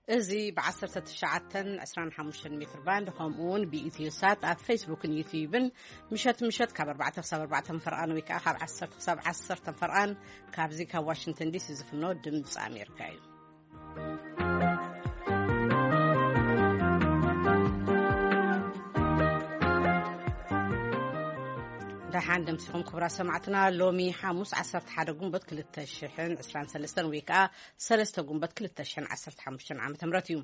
እዚ ብ19 25 ሜትር ባንድ፣ ከምኡ እውን ብኢትዮ ሳት ኣብ ፌስቡክን ዩትዩብን ምሸት ምሸት ካብ ኣርባዕተ ክሳብ ኣርባዕተ ፈርቓን፣ ወይ ከዓ ካብ ዓሰርተ ክሳብ ዓሰርተ ፈርቓን፣ ካብዚ ካብ ዋሽንግተን ዲሲ ዝፍኖ ድምፂ ኣሜሪካ እዩ። ደሓን ደምሲኹም ክቡራት ሰማዕትና። ሎሚ ሓሙስ ዓሰርተ ሓደ ጉንበት ክልተ ሽሕን ዕስራን ሰለስተን፣ ወይ ከዓ ሰለስተ ጉንበት ክልተ ሽሕን ዓሰርተ ሓሙሽተን ዓመተ ምህረት እዩ።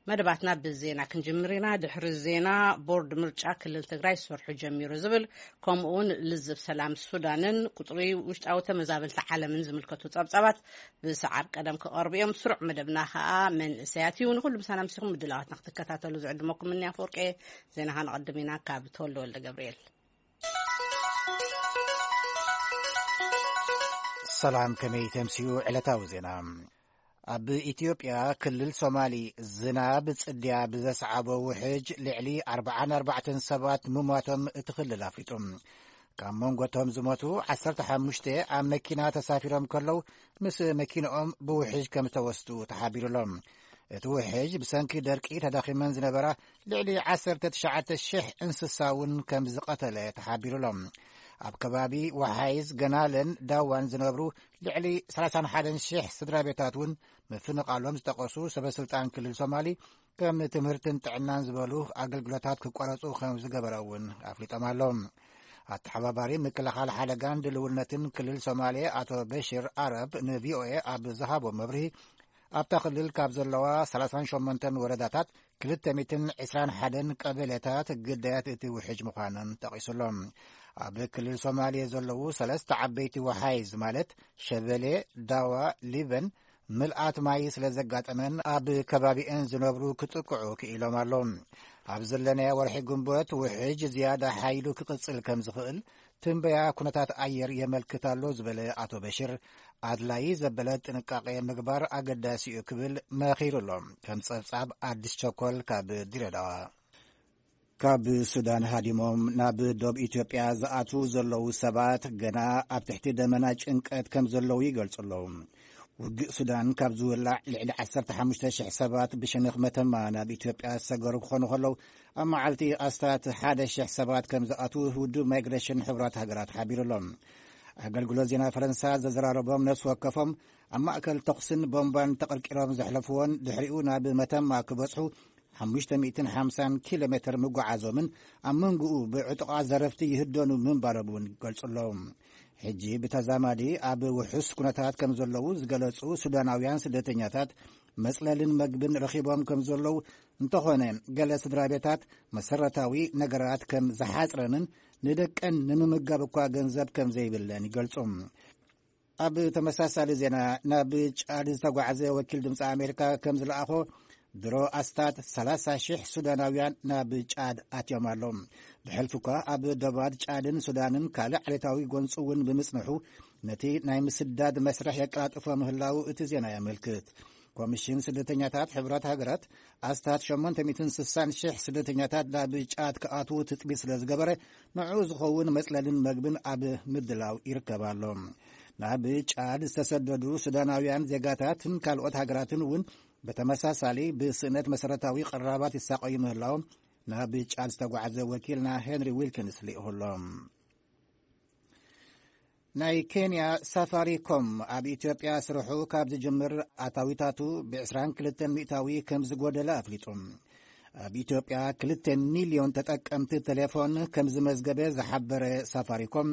መደባትና ብዜና ክንጅምር ኢና። ድሕሪ ዜና፣ ቦርድ ምርጫ ክልል ትግራይ ስርሑ ጀሚሩ ዝብል፣ ከምኡ እውን ልዝብ ሰላም ሱዳንን ቁፅሪ ውሽጣዊ ተመዛበልቲ ዓለምን ዝምልከቱ ጸብጻባት ብሰዓብ ቀደም ክቐርቡ እዮም። ስሩዕ መደብና ከዓ መንእሰያት እዩ። ንኹሉ ምሳና ምሲኹም ምድላዋትና ክትከታተሉ ዝዕድመኩም እኒ ኣፈወርቄ። ዜና ከነቐድም ኢና ካብ ተወልደ ወልደ ገብርኤል። ሰላም፣ ከመይ ተምስዩ ዕለታዊ ዜና? ኣብ ኢትዮጵያ ክልል ሶማሊ ዝናብ ጽድያ ብዘስዓቦ ውሕጅ ልዕሊ ኣርባዓን ኣርባዕተን ሰባት ምሟቶም እቲ ክልል ኣፍሊጡ። ካብ መንጎቶም ዝሞቱ ዓሰርተ ሓሙሽተ ኣብ መኪና ተሳፊሮም ከለዉ፣ ምስ መኪንኦም ብውሕጅ ከም ዝተወስዱ ተሓቢሩሎም። እቲ ውሕጅ ብሰንኪ ደርቂ ተዳኺመን ዝነበራ ልዕሊ ዓሰርተ ትሽዓተ ሽሕ እንስሳ እውን ከም ዝቐተለ ተሓቢሩሎም። ኣብ ከባቢ ወሓይዝ፣ ገናለን ዳዋን ዝነብሩ ልዕሊ ሰላሳን ሓደን ሽሕ ስድራ ቤታት እውን ምፍንቓሎም ዝጠቐሱ ሰበ ስልጣን ክልል ሶማሊ፣ ከም ትምህርትን ጥዕናን ዝበሉ ኣገልግሎታት ክቋረጹ ከም ዝገበረ እውን ኣፍሊጦም ኣለዉ። ኣተሓባባሪ ምክልኻል ሓደጋን ድልውነትን ክልል ሶማሌ ኣቶ በሽር ኣረብ ንቪኦኤ ኣብ ዝሃቦ መብርሂ፣ ኣብታ ክልል ካብ ዘለዋ ሰላሳን ሸሞንተን ወረዳታት ክልተ ሚእትን ዕስራን ሓደን ቀበሌታት ግዳያት እቲ ውሕጅ ምዃነን ጠቒሱሎም። ኣብ ክልል ሶማሌ ዘለዉ ሰለስተ ዓበይቲ ወሓይዝ ማለት ሸበሌ፣ ዳዋ፣ ሊበን ምልኣት ማይ ስለ ዘጋጠመን ኣብ ከባቢኤን ዝነብሩ ክጥቅዑ ክኢሎም ኣለዉ። ኣብ ዘለናዮ ወርሒ ግንቦት ውሕጅ ዝያዳ ሓይሉ ክቕጽል ከም ዝኽእል ትንበያ ኩነታት ኣየር የመልክት ኣሎ ዝበለ ኣቶ በሽር፣ ኣድላዪ ዘበለ ጥንቃቄ ምግባር ኣገዳሲ እዩ ክብል መኺሩ ኣሎ። ከም ጸብጻብ ኣዲስ ቸኮል ካብ ድሬዳዋ። ካብ ሱዳን ሃዲሞም ናብ ዶብ ኢትዮጵያ ዝኣትዉ ዘለዉ ሰባት ገና ኣብ ትሕቲ ደመና ጭንቀት ከም ዘለዉ ይገልጹ ኣለዉ። ውግእ ሱዳን ካብ ዝውላዕ ልዕሊ ዓሰርተ ሓሙሽተ ሽሕ ሰባት ብሸነኽ መተማ ናብ ኢትዮጵያ ዝሰገሩ ክኾኑ ከለዉ፣ ኣብ መዓልቲ ኣስታት ሓደ ሽሕ ሰባት ከም ዝኣትዉ ውድብ ማይግሬሽን ሕቡራት ሃገራት ሓቢሩ ኣሎ። ኣገልግሎት ዜና ፈረንሳ ዘዘራረቦም ነፍሲ ወከፎም ኣብ ማእከል ተኹስን ቦምባን ተቐርቂሮም ዘሕለፍዎን ድሕሪኡ ናብ መተማ ክበጽሑ ሓሙሽተ ሚእትን ሓምሳን ኪሎ ሜትር ምጓዓዞምን ኣብ መንጎኡ ብዕጡቓት ዘረፍቲ ይህደኑ ምንባሮም እውን ይገልጹ ኣለዉ። ሕጂ ብተዛማዲ ኣብ ውሑስ ኩነታት ከም ዘለዉ ዝገለጹ ሱዳናውያን ስደተኛታት መጽለልን መግብን ረኺቦም ከም ዘለዉ፣ እንተኾነ ገለ ስድራ ቤታት መሰረታዊ ነገራት ከም ዝሓጽረንን ንደቀን ንምምጋብ እኳ ገንዘብ ከም ዘይብለን ይገልጹ። ኣብ ተመሳሳሊ ዜና፣ ናብ ጫድ ዝተጓዕዘ ወኪል ድምፂ ኣሜሪካ ከም ዝለኣኾ፣ ድሮ ኣስታት ሰላሳ ሽሕ ሱዳናውያን ናብ ጫድ ኣትዮም ኣለዉ። ብሕልፊ እኳ ኣብ ዶባት ጫድን ሱዳንን ካልእ ዓሌታዊ ጎንፂ እውን ብምጽንሑ፣ ነቲ ናይ ምስዳድ መስርሕ የቀላጥፎ ምህላዉ እቲ ዜና የመልክት። ኮሚሽን ስደተኛታት ሕቡራት ሃገራት ኣስታት ሸሞንተ ሚእትን ስሳን ሽሕ ስደተኛታት ናብ ጫድ ክኣትዉ ትጽቢት ስለ ዝገበረ፣ ንዕኡ ዝኸውን መጽለልን መግብን ኣብ ምድላው ይርከብ ኣሎ። ናብ ጫድ ዝተሰደዱ ሱዳናውያን ዜጋታትን ካልኦት ሃገራትን እውን ብተመሳሳሊ ብስእነት መሰረታዊ ቅራባት ይሳቐዩ ምህላዎም ናብ ጫድ ዝተጓዕዘ ወኪልና ሄንሪ ዊልኪንስ ልኢኹ ኣሎ። ናይ ኬንያ ሳፋሪኮም ኣብ ኢትዮጵያ ስርሑ ካብ ዝጅምር ኣታዊታቱ ብ ዕስራን ክልተን ሚእታዊ ከም ዝጎደለ ኣፍሊጡ። ኣብ ኢትዮጵያ ክልተ ሚልዮን ተጠቀምቲ ቴሌፎን ከም ዝመዝገበ ዝሓበረ ሳፋሪኮም፣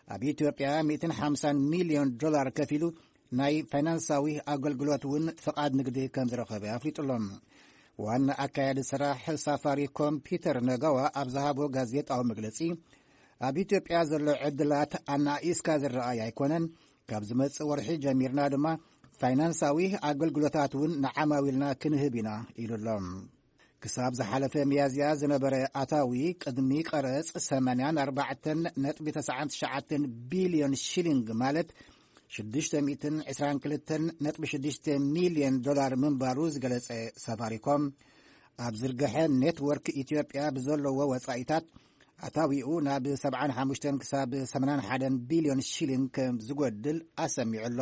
ኣብ ኢትዮጵያ ሚእትን ሓምሳን ሚልዮን ዶላር ከፊሉ ናይ ፋይናንሳዊ ኣገልግሎት እውን ፍቓድ ንግዲ ከም ዝረኸበ ኣፍሊጡ ኣሎ። ዋና ኣካያዲ ስራሕ ሳፋሪኮም ፒተር ነጋዋ ኣብ ዝሃቦ ጋዜጣዊ መግለጺ፣ ኣብ ኢትዮጵያ ዘሎ ዕድላት ኣናኢስካ ዝረኣይ ኣይኮነን። ካብ ዝመጽእ ወርሒ ጀሚርና ድማ ፋይናንሳዊ ኣገልግሎታት እውን ንዓማዊልና ክንህብ ኢና ኢሉ ኣሎ። ክሳብ ዝሓለፈ ሚያዝያ ዝነበረ ኣታዊ ቅድሚ ቀረጽ ሰማንያን ኣርባዕተን ነጥቢ ተስዓን ትሽዓተን ቢልዮን ሺሊንግ፣ ማለት ሽዱሽተ ሚእትን ዕስራን ክልተን ነጥቢ ሽዱሽተ ሚልዮን ዶላር ምንባሩ ዝገለጸ ሳፋሪኮም፣ ኣብ ዝርግሐ ኔትወርክ ኢትዮጵያ ብዘለዎ ወጻኢታት ኣታዊኡ ናብ ሰብዓን ሓሙሽተን ክሳብ ሰማንያን ሓደን ቢልዮን ሺሊንግ ከም ዝጎድል ኣሰሚዑ ኣሎ።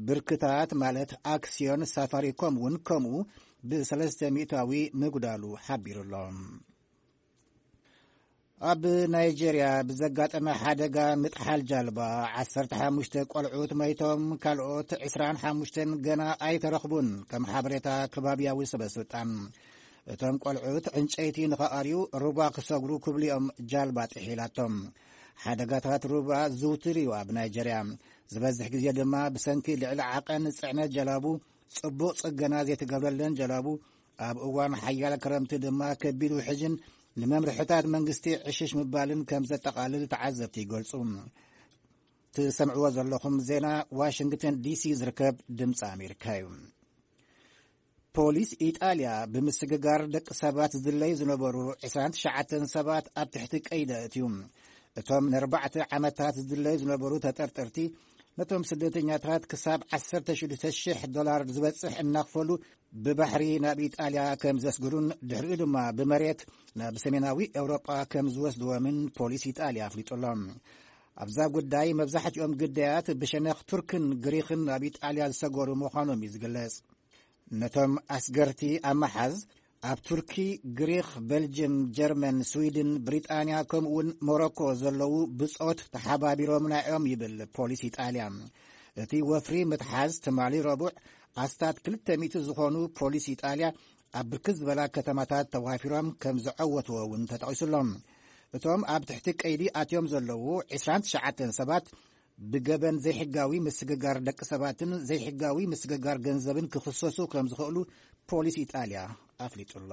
ብርክታት ማለት ኣክስዮን ሳፋሪኮም እውን ከምኡ ብሰለስተ ሚእታዊ ምጉዳሉ ሓቢሩ ኣሎ። ኣብ ናይጄርያ ብዘጋጠመ ሓደጋ ምጥሓል ጃልባ ዓሰርተ ሓሙሽተ ቆልዑት መይቶም፣ ካልኦት ዕስራን ሓሙሽተን ገና ኣይተረኽቡን፣ ከም ሓበሬታ ከባብያዊ ሰበስልጣን። እቶም ቆልዑት ዕንጨይቲ ንኸኣርዩ ሩባ ክሰግሩ ክብሉ እዮም ጃልባ ጥሒላቶም። ሓደጋታት ሩባ ዝውቱር እዩ ኣብ ናይጄርያ። ዝበዝሕ ግዜ ድማ ብሰንኪ ልዕሊ ዓቐን ጽዕነት ጀላቡ፣ ጽቡቕ ጽገና ዘይተገብረለን ጀላቡ፣ ኣብ እዋን ሓያል ክረምቲ ድማ ከቢድ ውሕጅን ንመምርሕታት መንግስቲ ዕሽሽ ምባልን ከም ዘጠቓልል ተዓዘብቲ ይገልጹ። ትሰምዕዎ ዘለኹም ዜና ዋሽንግተን ዲሲ ዝርከብ ድምፂ ኣሜሪካ እዩ። ፖሊስ ኢጣልያ ብምስግጋር ደቂ ሰባት ዝድለዩ ዝነበሩ ዕስራን ትሽዓተን ሰባት ኣብ ትሕቲ ቀይዲ ኣእትዩ። እቶም ንኣርባዕተ ዓመታት ዝድለዩ ዝነበሩ ተጠርጠርቲ ነቶም ስደተኛታት ክሳብ ዓሰርተ ሽዱሽተ ሽሕ ዶላር ዝበጽሕ እናኽፈሉ ብባሕሪ ናብ ኢጣልያ ከም ዘስግሩን ድሕሪኡ ድማ ብመሬት ናብ ሰሜናዊ ኤውሮጳ ከም ዝወስድዎምን ፖሊስ ኢጣልያ ኣፍሊጡ ኣሎ። ኣብዛ ጉዳይ መብዛሕትኦም ግዳያት ብሸነኽ ቱርክን ግሪኽን ናብ ኢጣልያ ዝሰገሩ ምዃኖም እዩ ዝግለጽ። ነቶም ኣስገርቲ ኣብ ምሓዝ ኣብ ቱርኪ፣ ግሪኽ፣ በልጅም፣ ጀርመን፣ ስዊድን፣ ብሪጣንያ ከምኡውን ሞሮኮ ዘለዉ ብጾት ተሓባቢሮምና እዮም ይብል ፖሊስ ኢጣልያ። እቲ ወፍሪ ምትሓዝ ትማሊ ረቡዕ ኣስታት ክልተ ሚእቲ ዝኾኑ ፖሊስ ኢጣልያ ኣብ ብርክት ዝበላ ከተማታት ተዋፊሮም ከም ዘዐወትዎ እውን ተጠቒሱሎም። እቶም ኣብ ትሕቲ ቀይዲ ኣትዮም ዘለዉ ዕስራን ትሽዓተን ሰባት ብገበን ዘይሕጋዊ ምስግጋር ደቂ ሰባትን ዘይሕጋዊ ምስግጋር ገንዘብን ክኽሰሱ ከም ዝኽእሉ ፖሊስ ኢጣልያ ኣፍሊጡ ኣሎ።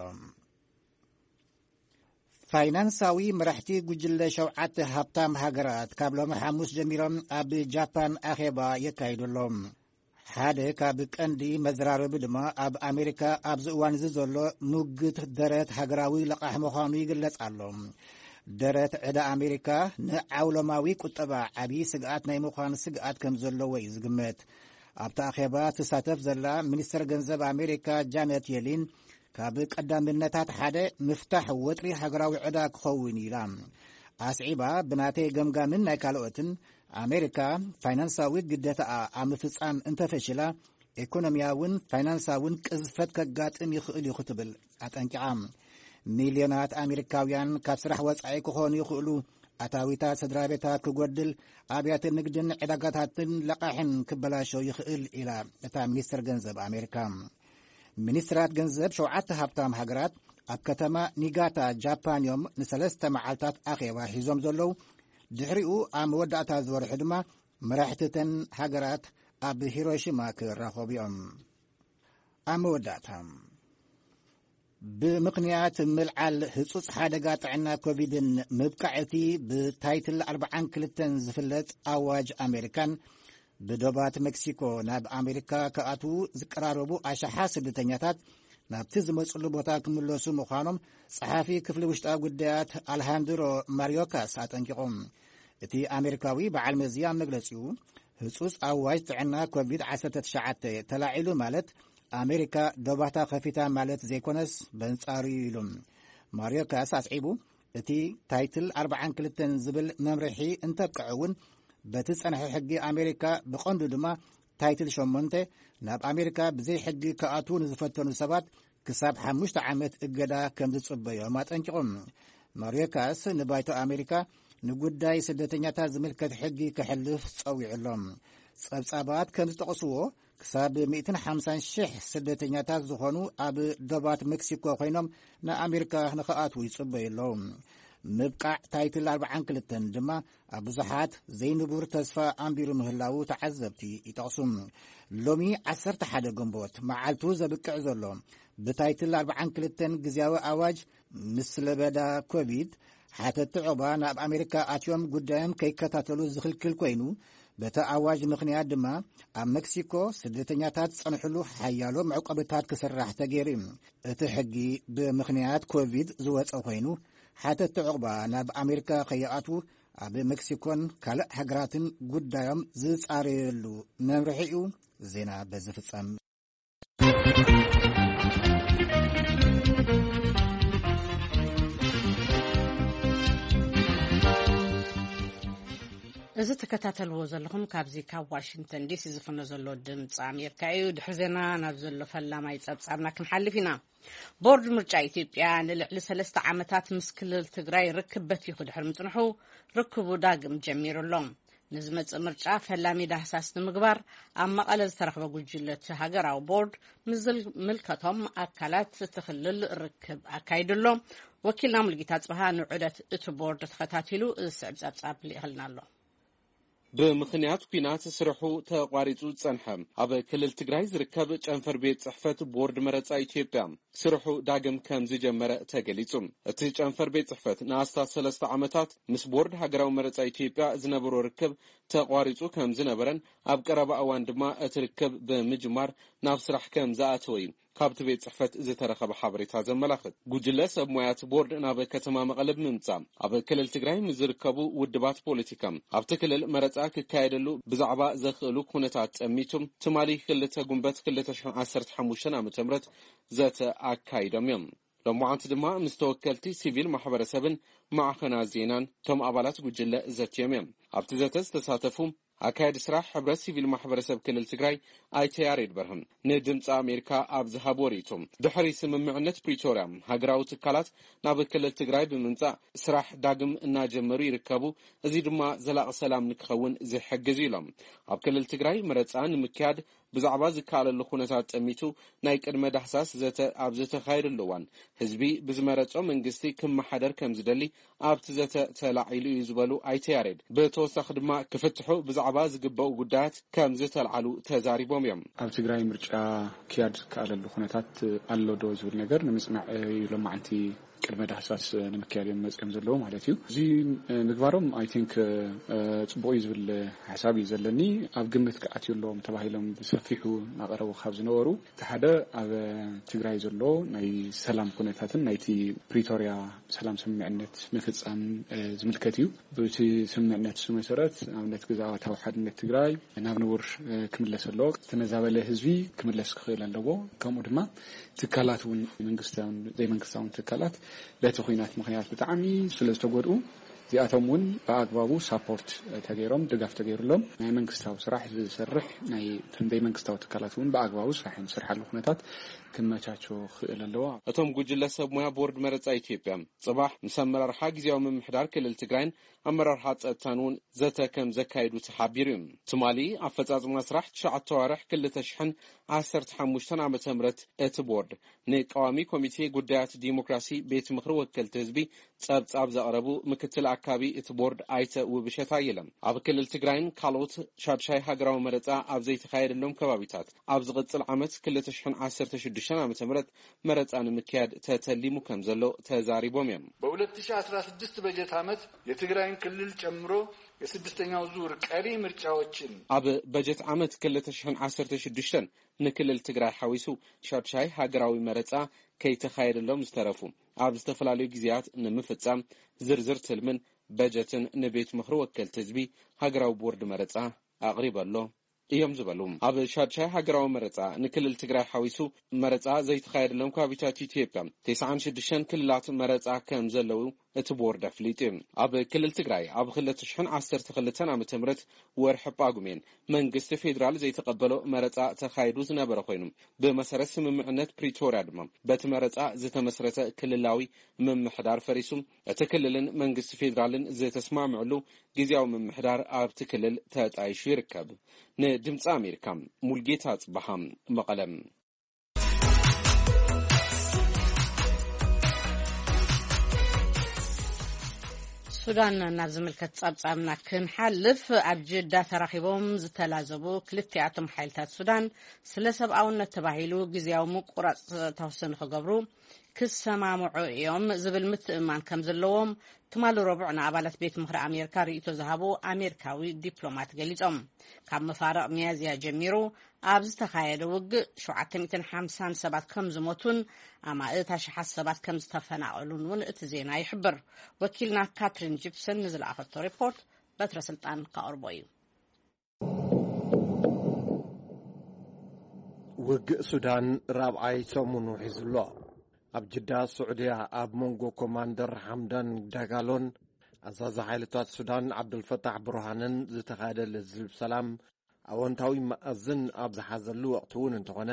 ፋይናንሳዊ መራሕቲ ጉጅለ ሸውዓተ ሃብታም ሃገራት ካብ ሎሚ ሓሙስ ጀሚሮም ኣብ ጃፓን ኣኼባ የካይዱ ኣለዉ። ሓደ ካብ ቀንዲ መዘራረቢ ድማ ኣብ ኣሜሪካ ኣብዚ እዋን እዚ ዘሎ ሙግት ደረት ሃገራዊ ለቓሕ ምዃኑ ይግለጽ ኣሎ። ደረት ዕዳ ኣሜሪካ ንዓውሎማዊ ቁጠባ ዓብዪ ስግኣት ናይ ምዃን ስግኣት ከም ዘለዎ እዩ ዝግመት። ኣብቲ ኣኼባ ትሳተፍ ዘላ ሚኒስተር ገንዘብ ኣሜሪካ ጃነት የሊን፣ ካብ ቀዳምነታት ሓደ ምፍታሕ ወጥሪ ሃገራዊ ዕዳ ክኸውን ኢላ። ኣስዒባ፣ ብናተይ ገምጋምን ናይ ካልኦትን፣ ኣሜሪካ ፋይናንሳዊ ግዴታኣ ኣብ ምፍጻም እንተፈሽላ፣ ኢኮኖሚያውን ፋይናንሳውን ቅዝፈት ከጋጥም ይኽእል እዩ ክትብል ኣጠንቂቓ። ሚልዮናት ኣሜሪካውያን ካብ ስራሕ ወጻኢ ክኾኑ ይኽእሉ። ኣታዊታት ስድራ ቤታት ክጎድል፣ ኣብያተ ንግድን ዕዳጋታትን ለቓሕን ክበላሾ ይኽእል ኢላ እታ ሚኒስትር ገንዘብ ኣሜሪካ። ሚኒስትራት ገንዘብ ሸውዓተ ሃብታም ሃገራት ኣብ ከተማ ኒጋታ ጃፓን እዮም ንሰለስተ መዓልታት ኣኼባ ሒዞም ዘለዉ። ድሕሪኡ ኣብ መወዳእታ ዝወርሒ ድማ መራሕትተን ሃገራት ኣብ ሂሮሺማ ክራኸቡ እዮም። ኣብ መወዳእታ፣ ብምኽንያት ምልዓል ህጹጽ ሓደጋ ጥዕና ኮቪድን ምብቃዕ እቲ ብታይትል ኣርባዓን ክልተን ዝፍለጥ ኣዋጅ ኣሜሪካን ብዶባት ሜክሲኮ ናብ ኣሜሪካ ክኣትዉ ዝቀራረቡ ኣሽሓት ስደተኛታት ናብቲ ዝመጽሉ ቦታ ክምለሱ ምዃኖም ጸሓፊ ክፍሊ ውሽጣዊ ጉዳያት ኣልሃንድሮ ማርዮካስ ኣጠንቂቖም። እቲ ኣሜሪካዊ በዓል መዚ ኣብ መግለጺኡ፣ ህጹጽ ኣዋጅ ጥዕና ኮቪድ ዓሰርተ ትሽዓተ ተላዒሉ ማለት ኣሜሪካ ዶባታ ከፊታ ማለት ዘይኮነስ በንጻሩ እዩ ኢሉ። ማርዮካስ ኣስዒቡ፣ እቲ ታይትል ኣርባዓን ክልተን ዝብል መምርሒ እንተብቅዕ እውን፣ በቲ ጸንሐ ሕጊ ኣሜሪካ፣ ብቐንዱ ድማ ታይትል ሸሞንተ፣ ናብ ኣሜሪካ ብዘይ ሕጊ ክኣትዉ ንዝፈተኑ ሰባት ክሳብ ሓሙሽተ ዓመት እገዳ ከም ዝጽበዮም ኣጠንቂቖም። ማርዮካስ ንባይቶ ኣሜሪካ ንጉዳይ ስደተኛታት ዝምልከት ሕጊ ከሕልፍ ጸዊዑ ኣሎ። ጸብጻባት ከም ዝጠቕስዎ፣ ክሳብ ሚእትን ሓምሳን ሽሕ ስደተኛታት ዝኾኑ ኣብ ዶባት ሜክሲኮ ኮይኖም ንኣሜሪካ ንኽኣትዉ ይጽበዩ ኣለዉ። ምብቃዕ ታይትል ኣርባዓን ክልተን ድማ ኣብ ብዙሓት ዘይንቡር ተስፋ ኣንቢሩ ምህላዉ ተዓዘብቲ ይጠቕሱ። ሎሚ ዓሰርተ ሓደ ግንቦት መዓልቱ ዘብቅዕ ዘሎ ብታይትል ኣርባዓን ክልተን ግዝያዊ ኣዋጅ ምስ ለበዳ ኮቪድ ሓተቲ ዑቕባ ናብ ኣሜሪካ ኣትዮም ጉዳዮም ከይከታተሉ ዝኽልክል ኮይኑ፣ በቲ ኣዋጅ ምኽንያት ድማ ኣብ ሜክሲኮ ስደተኛታት ዝጸንሕሉ ሓያሎ መዕቆብታት ክስራሕ ተገይሩ እዩ። እቲ ሕጊ ብምኽንያት ኮቪድ ዝወጸ ኮይኑ፣ ሓተቲ ዑቕባ ናብ ኣሜሪካ ከይኣትዉ ኣብ ሜክሲኮን ካልእ ሃገራትን ጉዳዮም ዝጻረየሉ መምርሒ እዩ። ዜና በዚ ፍጸም። እዚ ትከታተልዎ ዘለኹም ካብዚ ካብ ዋሽንግተን ዲሲ ዝፍኖ ዘሎ ድምፂ ኣሜሪካ እዩ። ድሕሪ ዜና ናብ ዘሎ ፈላማይ ጸብጻብና ክንሓልፍ ኢና። ቦርድ ምርጫ ኢትዮጵያ ንልዕሊ ሰለስተ ዓመታት ምስ ክልል ትግራይ ርክብ በቲኹ ድሕሪ ምጽንሑ፣ ርክቡ ዳግም ጀሚሩ ኣሎ። ንዝመጽእ ምርጫ ፈላሚ ዳህሳስ ንምግባር ኣብ መቐለ ዝተረኽበ ጉጅለ እቲ ሃገራዊ ቦርድ ምስ ዝምልከቶም ኣካላት እቲ ክልል ርክብ ኣካይዱ ኣሎ። ወኪልና ሙሉጌታ ጽብሃ ንዑደት እቲ ቦርድ ተኸታቲሉ ዝስዕብ ጸብጻብ ልኢኽልና ኣሎ። ብምኽንያት ኲናት ስርሑ ተቋሪጹ ዝጸንሐ ኣብ ክልል ትግራይ ዝርከብ ጨንፈር ቤት ጽሕፈት ቦርድ መረጻ ኢትዮጵያ ስርሑ ዳግም ከም ዝጀመረ ተገሊጹ። እቲ ጨንፈር ቤት ጽሕፈት ንኣስታት ሰለስተ ዓመታት ምስ ቦርድ ሃገራዊ መረጻ ኢትዮጵያ ዝነበሮ ርክብ ተቋሪጹ ከም ዝነበረን ኣብ ቀረባ እዋን ድማ እቲ ርክብ ብምጅማር ናብ ስራሕ ከም ዝኣተወ እዩ ካብቲ ቤት ጽሕፈት ዝተረኸበ ሓበሬታ ዘመላኽት። ጉጅለ ሰብ ሞያት ቦርድ ናብ ከተማ መቐለ ብምምጻእ ኣብ ክልል ትግራይ ምስ ዝርከቡ ውድባት ፖለቲካ ኣብቲ ክልል መረጻ ክካየደሉ ብዛዕባ ዘኽእሉ ኩነታት ጸሚቱ ትማሊ ክልተ ጉንበት ክልተ ሽሕን ዓሰርተ ሓሙሽተን ዓመተ ምህረት ዘተ ኣካይዶም እዮም። ሎማዓንቲ ድማ ምስ ተወከልቲ ሲቪል ማሕበረሰብን ማዕኸናት ዜናን እቶም ኣባላት ጉጅለ ዘትዮም እዮም። ኣብቲ ዘተ ዝተሳተፉ ኣካያዲ ስራሕ ሕብረት ሲቪል ማሕበረሰብ ክልል ትግራይ ኣይተ ያሬድ በርሀም ንድምፂ ኣሜሪካ ኣብ ዝሃብዎ ርእይቶ፣ ድሕሪ ስምምዕነት ፕሪቶርያ ሃገራዊ ትካላት ናብ ክልል ትግራይ ብምምፃእ ስራሕ ዳግም እናጀመሩ ይርከቡ። እዚ ድማ ዘላቂ ሰላም ንክኸውን ዝሕግዝ እዩ ኢሎም። ኣብ ክልል ትግራይ መረፃ ንምክያድ ብዛዕባ ዝከኣለሉ ኩነታት ጠሚቱ ናይ ቅድመ ዳህሳስ ዘተ ኣብ ዝተኻየደሉ እዋን፣ ህዝቢ ብዝመረጾ መንግስቲ ክመሓደር ከም ዝደሊ ኣብቲ ዘተ ተላዒሉ እዩ ዝበሉ ኣይተ ያሬድ፣ ብተወሳኺ ድማ ክፍትሑ ብዛዕባ ዝግበኡ ጉዳያት ከም ዝተልዓሉ ተዛሪቦም እዮም። ኣብ ትግራይ ምርጫ ክያድ ዝከኣለሉ ኩነታት ኣሎ ዶ ዝብል ነገር ንምጽናዕ እዩ ሎማዓንቲ ቅድመ ዳህሳስ ንምክያድ እዮም መጽኦም ዘለዉ ማለት እዩ። እዚ ምግባሮም፣ ኣይ ቲንክ፣ ጽቡቕ እዩ ዝብል ሓሳብ እዩ ዘለኒ። ኣብ ግምት ክኣትዩ ኣለዎም ተባሂሎም ብሰፊሑ እናቐረቡ ካብ ዝነበሩ፣ እቲ ሓደ ኣብ ትግራይ ዘሎ ናይ ሰላም ኩነታትን ናይቲ ፕሪቶርያ ሰላም ስምምዕነት ምፍጻም ዝምልከት እዩ። ብቲ ስምምዕነት እሱ መሰረት፣ ንኣብነት፣ ግዝኣታዊ ሓድነት ትግራይ ናብ ንቡር ክምለስ ኣለዎ። ዝተመዛበለ ህዝቢ ክምለስ ክኽእል ኣለዎ። ከምኡ ድማ ትካላት እውን፣ መንግስታውን ዘይመንግስታውን ትካላት፣ በቲ ኲናት ምኽንያት ብጣዕሚ ስለ ዝተጎድኡ፣ እዚኣቶም እውን ብኣግባቡ ሳፖርት ተገይሮም፣ ድጋፍ ተገይሩሎም፣ ናይ መንግስታዊ ስራሕ ዝሰርሕ ናይ እተን ዘይመንግስታዊ ትካላት እውን ብኣግባቡ ስራሕ ንሰርሓሉ ኩነታት ክመቻቸ ክኽእል ኣለዎ። እቶም ጉጅለ ሰብ ሞያ ቦርድ መረጻ ኢትዮጵያ ጽባሕ ምስ ኣመራርሓ ግዝያዊ ምምሕዳር ክልል ትግራይን ኣመራርሓ ጸጥታን እውን ዘተ ከም ዘካየዱ ተሓቢሩ እዩ። ትማሊ ኣፈጻጽማ ስራሕ ትሽዓተ ኣዋርሕ ክልተ ሽሕን ዓሰርተ ሓሙሽተን ዓመተ ምህረት እቲ ቦርድ ንቀዋሚ ኮሚቴ ጉዳያት ዲሞክራሲ ቤት ምኽሪ ወከልቲ ህዝቢ ጸብጻብ ዘቕረቡ ምክትል ኣካቢ እቲ ቦርድ ኣይተ ውብሸት ኣየለ፣ ኣብ ክልል ትግራይን ካልኦት ሻድሻይ ሃገራዊ መረጻ ኣብ ዘይተኻየደሎም ከባቢታት ኣብ ዝቕጽል ዓመት ክልተ ሽሕን ዓሰርተ ሽዱሽተን ዓመተ ምህረት መረጻ ንምክያድ ተተሊሙ ከም ዘሎ ተዛሪቦም እዮም። በሁለት ሺህ አስራ ስድስት በጀት ዓመት የትግራይን ክልል ጨምሮ የስድስተኛው ዙር ቀሪ ምርጫዎችን ኣብ በጀት ዓመት ክልተ ሽሕን ዓሰርተ ሽዱሽተን ንክልል ትግራይ ሓዊሱ ሻድሻይ ሃገራዊ መረጻ ከይተኻየደሎም ዝተረፉ ኣብ ዝተፈላለዩ ግዜያት ንምፍጻም ዝርዝር ትልምን በጀትን ንቤት ምኽሪ ወከልቲ ህዝቢ ሃገራዊ ቦርድ መረጻ ኣቕሪበ ኣሎ እዮም ዝበሉ። ኣብ ሻድሻይ ሃገራዊ መረጻ ንክልል ትግራይ ሓዊሱ መረጻ ዘይተኻየደሎም ከባቢታት ኢትዮጵያ፣ ተስዓን ሽዱሽተን ክልላት መረጻ ከም ዘለዉ እቲ ቦርድ ኣፍሊጡ እዩ። ኣብ ክልል ትግራይ ኣብ ክልተ ሽሕን ዓሰርተ ክልተን ዓመተ ምህረት ወርሒ ጳጉሜን መንግስቲ ፌዴራል ዘይተቐበሎ መረጻ ተኻይዱ ዝነበረ ኮይኑ፣ ብመሰረት ስምምዕነት ፕሪቶርያ ድማ በቲ መረጻ ዝተመስረተ ክልላዊ ምምሕዳር ፈሪሱ፣ እቲ ክልልን መንግስቲ ፌዴራልን ዝተስማምዕሉ ግዝያዊ ምምሕዳር ኣብቲ ክልል ተጣይሹ ይርከብ። ንድምፂ ኣሜሪካ፣ ሙልጌታ ጽበሃ፣ መቐለም። ሱዳን ናብ ዝምልከት ጸብጻብና ክንሓልፍ፣ ኣብ ጅዳ ተራኺቦም ዝተላዘቡ ክልቲኣቶም ሓይልታት ሱዳን ስለ ሰብኣውነት ተባሂሉ ግዝያዊ ምቁራጽ ተኩሲ ንኽገብሩ ክሰማምዑ እዮም ዝብል ምትእምማን ከም ዘለዎም ትማሊ ረቡዕ ንኣባላት ቤት ምኽሪ ኣሜሪካ ርእይቶ ዝሃቡ ኣሜሪካዊ ዲፕሎማት ገሊጾም። ካብ መፋርቕ ሚያዝያ ጀሚሩ ኣብ ዝተኻየደ ውግእ ሸውዓተ ሚእትን ሓምሳን ሰባት ከም ዝሞቱን ኣማእት ኣሽሓት ሰባት ከም ዝተፈናቐሉን እውን እቲ ዜና ይሕብር። ወኪልና ካትሪን ጂፕሰን ንዝለኣኸቶ ሪፖርት በትረ ስልጣን ካቕርቦ እዩ። ውግእ ሱዳን ራብዓይ ሰሙኑ ሒዙ ኣሎ። ኣብ ጅዳ ስዑድያ ኣብ መንጎ ኮማንደር ሓምዳን ዳጋሎን ኣዛዚ ሓይልታት ሱዳን ዓብዱልፈታሕ ብርሃንን ዝተኻየደ ልዝብ ሰላም ኣወንታዊ መኣዝን ኣብ ዝሓዘሉ ወቕቲ እውን እንተኾነ፣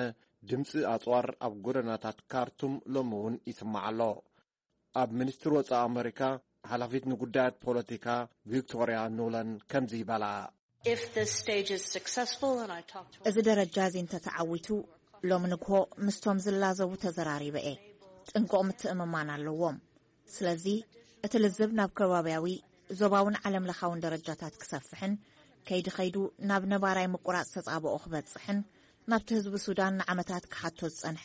ድምፂ ኣፅዋር ኣብ ጎደናታት ካርቱም ሎሚ እውን ይስማዕ ኣሎ። ኣብ ሚኒስትሪ ወፃኢ ኣመሪካ ሓላፊት ንጉዳያት ፖለቲካ ቪክቶርያ ኑለን ከምዚ ይበላ። If this stage is successful, and I talk to እዚ ደረጃ እዚ እንተተዓዊቱ፣ ሎሚ ንግሆ ምስቶም ዝላዘቡ ተዘራሪበ እየ። ጥንቁቕ ምትእምማን ኣለዎም። ስለዚ እቲ ልዝብ ናብ ከባብያዊ፣ ዞባውን ዓለም ለኻውን ደረጃታት ክሰፍሕን ከይዲ ከይዱ ናብ ነባራይ ምቁራጽ ተጻብኦ ክበጽሕን ናብቲ ህዝቢ ሱዳን ንዓመታት ክሓቶ ዝጸንሐ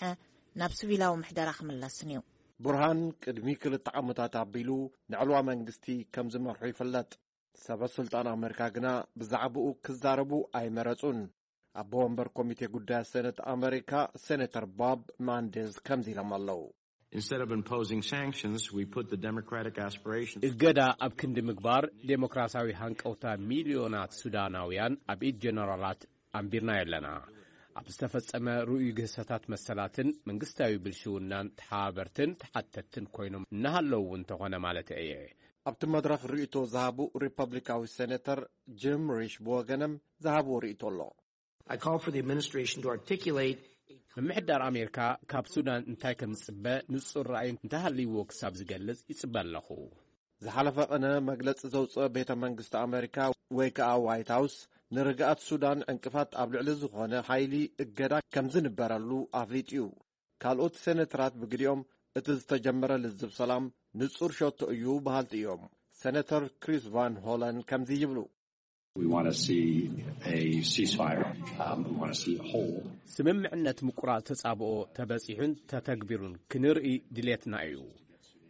ናብ ሲቪላዊ ምሕደራ ክምለስን እዩ። ቡርሃን ቅድሚ ክልተ ዓመታት ኣቢሉ ንዕልዋ መንግስቲ ከም ዝመርሑ ይፍለጥ። ሰበ ስልጣን ኣመሪካ ግና ብዛዕባኡ ክዛረቡ ኣይመረጹን። ኣቦ ወንበር ኮሚቴ ጉዳያት ሰነት ኣመሪካ ሴኔተር ቦብ ማንዴዝ ከምዚ ኢሎም ኣለዉ። Instead of imposing sanctions, we put the democratic aspiration. እገዳ ኣብ ክንዲ ምግባር ዴሞክራሲያዊ ሃንቀውታ ሚልዮናት ሱዳናውያን ኣብ ኢድ ጀነራላት ኣንቢርናዮ ኣለና። ኣብ ዝተፈጸመ ርኡይ ግህሰታት መሰላትን መንግስታዊ ብልሽውናን ተሓባበርትን ተሓተትትን ኮይኖም እናሃለዉ እንተኾነ ማለት እየ። ኣብቲ መድረኽ ርእይቶ ዝሃቡ ሪፐብሊካዊ ሴኔተር ጂም ሪሽ ብወገኖም ዝሃብዎ ርእይቶ ኣሎ። I call for the administration to articulate ምምሕዳር ኣሜሪካ ካብ ሱዳን እንታይ ከም ዝጽበ ንጹር ራእይ እንተሃልይዎ ክሳብ ዝገልጽ ይጽበ ኣለኹ። ዝሓለፈ ቅነ መግለጺ ዘውጽአ ቤተ መንግስቲ ኣመሪካ ወይ ከኣ ዋይት ሃውስ ንርግኣት ሱዳን ዕንቅፋት ኣብ ልዕሊ ዝኾነ ሓይሊ እገዳ ከም ዝንበረሉ ኣፍሊጡ እዩ። ካልኦት ሴኔተራት ብግዲኦም እቲ ዝተጀመረ ልዝብ ሰላም ንጹር ሸቶ እዩ በሃልቲ እዮም። ሴኔተር ክሪስ ቫን ሆለን ከምዚ ይብሉ። We want to see a ceasefire. Um, we want to see a hold. ስምምዕነት ምቁራጽ ተጻብኦ ተበጺሑን ተተግቢሩን ክንርኢ ድሌትና እዩ።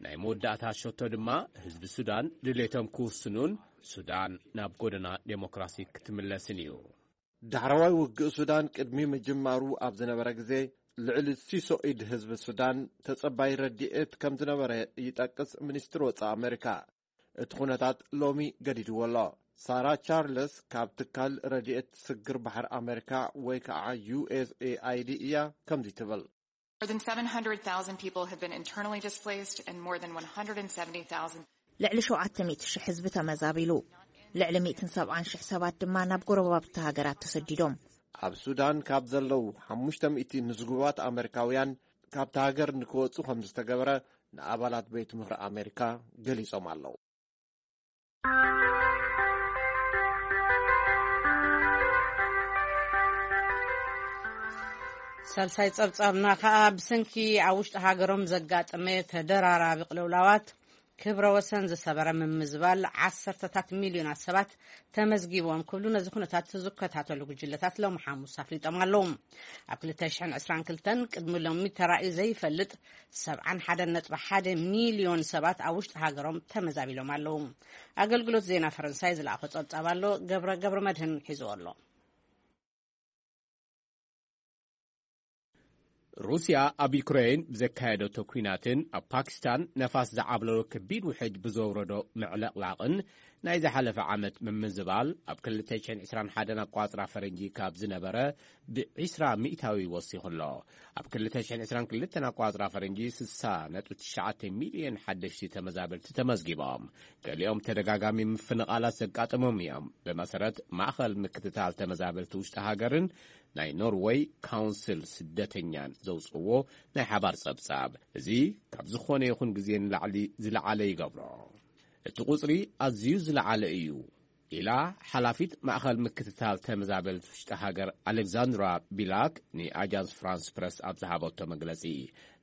ናይ መወዳእታ ሸቶ ድማ ህዝቢ ሱዳን ድሌቶም ክውስኑን ሱዳን ናብ ጎደና ዴሞክራሲ ክትምለስን እዩ። ዳሕረዋይ ውግእ ሱዳን ቅድሚ ምጅማሩ ኣብ ዝነበረ ግዜ ልዕሊ ሲሶ ኢድ ህዝቢ ሱዳን ተጸባይ ረድኤት ከም ዝነበረ ይጠቅስ ሚኒስትሪ ወጻኢ ኣመሪካ። እቲ ኩነታት ሎሚ ገዲድዎ ኣሎ። ሳራ ቻርለስ ካብ ትካል ረድኤት ስግር ባሕሪ ኣመሪካ ወይ ከዓ ዩ ኤስ ኤ ኣይ ዲ እያ ከምዚ ትብል። More than seven hundred thousand people have been internally displaced and more than one hundred seventy thousand ልዕሊ ሸውዓተ ሚእቲ ሽሕ ህዝቢ ተመዛቢሉ። ልዕሊ ሚእትን ሰብዓን ሽሕ ሰባት ድማ ናብ ጎረባብቲ ሃገራት ተሰዲዶም። ኣብ ሱዳን ካብ ዘለዉ ሓሙሽተ ሚእቲ ምዝጉባት ኣመሪካውያን ካብቲ ሃገር ንክወጹ ከም ዝተገበረ ንኣባላት ቤት ምኽሪ ኣመሪካ ገሊጾም ኣለዉ። ሳልሳይ ጸብጻብና ከኣ ብሰንኪ ኣብ ውሽጢ ሃገሮም ዘጋጠመ ተደራራቢ ቅልውላዋት ክብረ ወሰን ዝሰበረ ምምዝባል ዓሰርተታት ሚልዮናት ሰባት ተመዝጊቦም ክብሉ ነዚ ኩነታት ዝከታተሉ ጉጅለታት ሎሚ ሓሙስ ኣፍሊጦም ኣለዉ። ኣብ ክልተ ሽሕን ዕስራን ክልተን ቅድሚ ሎሚ ተራእዩ ዘይፈልጥ ሰብዓን ሓደን ነጥቢ ሓደ ሚልዮን ሰባት ኣብ ውሽጢ ሃገሮም ተመዛቢሎም ኣለዉ። ኣገልግሎት ዜና ፈረንሳይ ዝለኣኾ ጸብጻብ ኣሎ። ገብረ፣ ገብረ መድህን ሒዝዎ ኣሎ። ሩስያ ኣብ ዩክሬን ብዘካየደቶ ኲናትን ኣብ ፓኪስታን ነፋስ ዝዓብለሎ ከቢድ ውሕጅ ብዘውረዶ ምዕልቕላቕን ናይ ዝሓለፈ ዓመት ምምዝባል ኣብ ክልተ ሽሕን ዕስራን ሓደን ኣቋጽራ ፈረንጂ ካብ ዝነበረ ብ20% ወሲኹ ኣሎ። ኣብ ክልተ ሽሕን ዕስራን ክልተን ኣቋጽራ ፈረንጂ ስሳ ነጥቢ ትሽዓተ ሚልዮን ሓደሽቲ ተመዛበልቲ ተመዝጊቦም። ገሊኦም ተደጋጋሚ ምፍንቓላት ዘጋጠሞም እዮም። ብመሰረት ማእኸል ምክትታል ተመዛበልቲ ውሽጢ ሃገርን ናይ ኖርወይ ካውንስል ስደተኛን ዘውፅዎ ናይ ሓባር ጸብጻብ፣ እዚ ካብ ዝኾነ ይኹን ግዜ ንላዕሊ ዝለዓለ ይገብሮ። እቲ ቁጽሪ ኣዝዩ ዝለዓለ እዩ ኢላ ሓላፊት ማእኸል ምክትታል ተመዛበልቲ ውሽጢ ሃገር ኣሌክዛንድራ ቢላክ ንኣጃንስ ፍራንስ ፕረስ ኣብ ዝሃበቶ መግለጺ።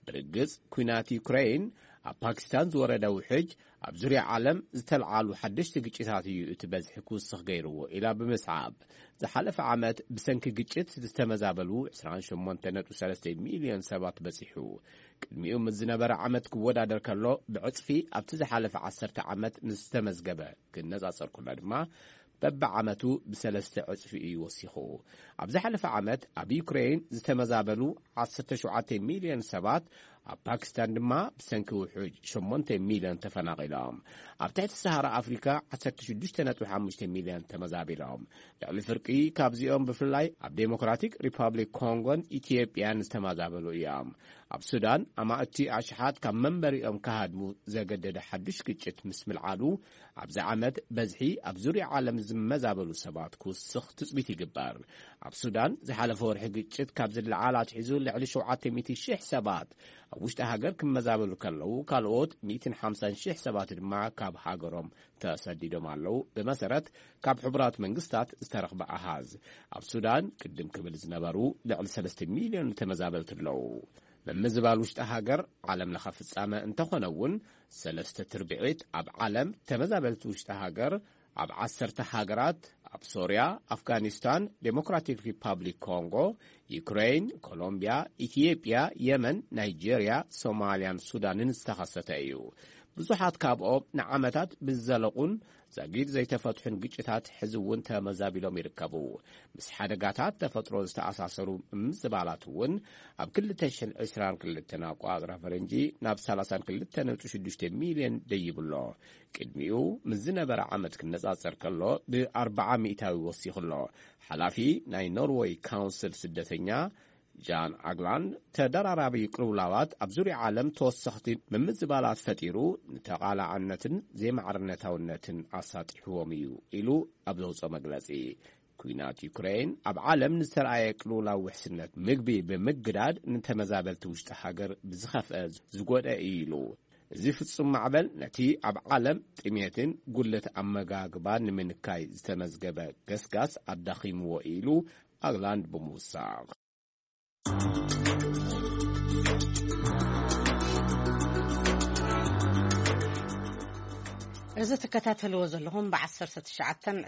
ብርግጽ፣ ኲናት ዩክሬን፣ ኣብ ፓኪስታን ዝወረደ ውሕጅ፣ ኣብ ዙርያ ዓለም ዝተልዓሉ ሓደሽቲ ግጭታት እዩ እቲ በዝሒ ክውስኽ ገይርዎ ኢላ ብምስዓብ፣ ዝሓለፈ ዓመት ብሰንኪ ግጭት ዝተመዛበሉ ዕስራን ሸሞንተን ነጥቢ ሰለስተ ሚልዮን ሰባት በጺሑ። ቅድሚኡ ምስ ዝነበረ ዓመት ክወዳደር ከሎ፣ ብዕጽፊ ኣብቲ ዝሓለፈ ዓሰርተ ዓመት ምስ ዝተመዝገበ ክነጻጸር ከሎ ድማ፣ በብዓመቱ ብሰለስተ ዕጽፊ እዩ ወሲኹ። ኣብ ዝሓለፈ ዓመት ኣብ ዩክሬን ዝተመዛበሉ ዓሰርተ ሸውዓተ ሚልዮን ሰባት ኣብ ፓኪስታን ድማ ብሰንኪ ውሑጅ ሸሞንተ ሚልዮን ተፈናቒሎም። ኣብ ትሕቲ ሰሃራ ኣፍሪካ ዓሰርተ ሽዱሽተ ነጥቢ ሓሙሽተ ሚልዮን ተመዛቢሎም። ልዕሊ ፍርቂ ካብዚኦም ብፍላይ ኣብ ዴሞክራቲክ ሪፓብሊክ ኮንጎን ኢትዮጵያን ዝተመዛበሉ እዮም። ኣብ ሱዳን ኣማእቲ ኣሽሓት ካብ መንበሪኦም ክሃድሙ ዘገደደ ሓዱሽ ግጭት ምስ ምልዓሉ፣ ኣብዚ ዓመት በዝሒ ኣብ ዙርያ ዓለም ዝመዛበሉ ሰባት ክውስኽ ትጽቢት ይግበር። ኣብ ሱዳን ዝሓለፈ ወርሒ ግጭት ካብ ዝለዓል ኣትሒዙ ልዕሊ ሸውዓተ ሚእቲ ሽሕ ሰባት ኣብ ውሽጢ ሃገር ክመዛበሉ ከለዉ፣ ካልኦት ሚእትን ሓምሳን ሽሕ ሰባት ድማ ካብ ሃገሮም ተሰዲዶም ኣለዉ። ብመሰረት ካብ ሕቡራት መንግስታት ዝተረኽበ ኣሃዝ፣ ኣብ ሱዳን ቅድም ክብል ዝነበሩ ልዕሊ ሰለስተ ሚልዮን ተመዛበልቲ ኣለዉ። ምምዝባል ውሽጢ ሃገር ዓለም ለኸ ፍጻመ እንተኾነ እውን፣ ሰለስተ ትርብዒት ኣብ ዓለም ተመዛበልቲ ውሽጢ ሃገር ኣብ ዓሰርተ ሃገራት፣ ኣብ ሶርያ፣ ኣፍጋኒስታን፣ ዴሞክራቲክ ሪፓብሊክ ኮንጎ፣ ዩክሬን፣ ኮሎምቢያ፣ ኢትዮጵያ፣ የመን፣ ናይጄርያ፣ ሶማልያን ሱዳንን ዝተኸሰተ እዩ። ብዙሓት ካብኦም ንዓመታት ብዝዘለቑን ዛጊድ ዘይተፈትሑን ግጭታት ሕዚ እውን ተመዛቢሎም ይርከቡ። ምስ ሓደጋታት ተፈጥሮ ዝተኣሳሰሩ ምምዝባላት እውን ኣብ ክልተ ሽሕን ዕስራን ክልተን ኣቋጽራ ፈረንጂ ናብ ሰላሳን ክልተ ነጥቢ ሽዱሽተ ሚልዮን ደይብሎ። ቅድሚኡ ምስ ዝነበረ ዓመት ክነጻጸር ከሎ ብኣርብዓ ሚእታዊ ወሲኹ ኣሎ። ሓላፊ ናይ ኖርወይ ካውንስል ስደተኛ ጃን ኣግላንድ፣ ተደራራቢ ቅልውላዋት ኣብ ዙርያ ዓለም ተወሰኽቲ ምምዝባላት ፈጢሩ፣ ንተቓላዕነትን ዘይማዕርነታውነትን ኣሳጢሕዎም እዩ ኢሉ ኣብ ዘውፅኦ መግለፂ፣ ኲናት ዩክሬን ኣብ ዓለም ንዝተረኣየ ቅልውላው ውሕስነት ምግቢ ብምግዳድ፣ ንተመዛበልቲ ውሽጢ ሃገር ብዝኸፍአ ዝጎድአ እዩ ኢሉ። እዚ ፍጹም ማዕበል ነቲ ኣብ ዓለም ጥሜትን ጉለት ኣመጋግባን ንምንካይ ዝተመዝገበ ገስጋስ ኣዳኺምዎ ኢሉ ኣግላንድ ብምውሳኽ። እዚ ትከታተልዎ ዘለኹም ብ19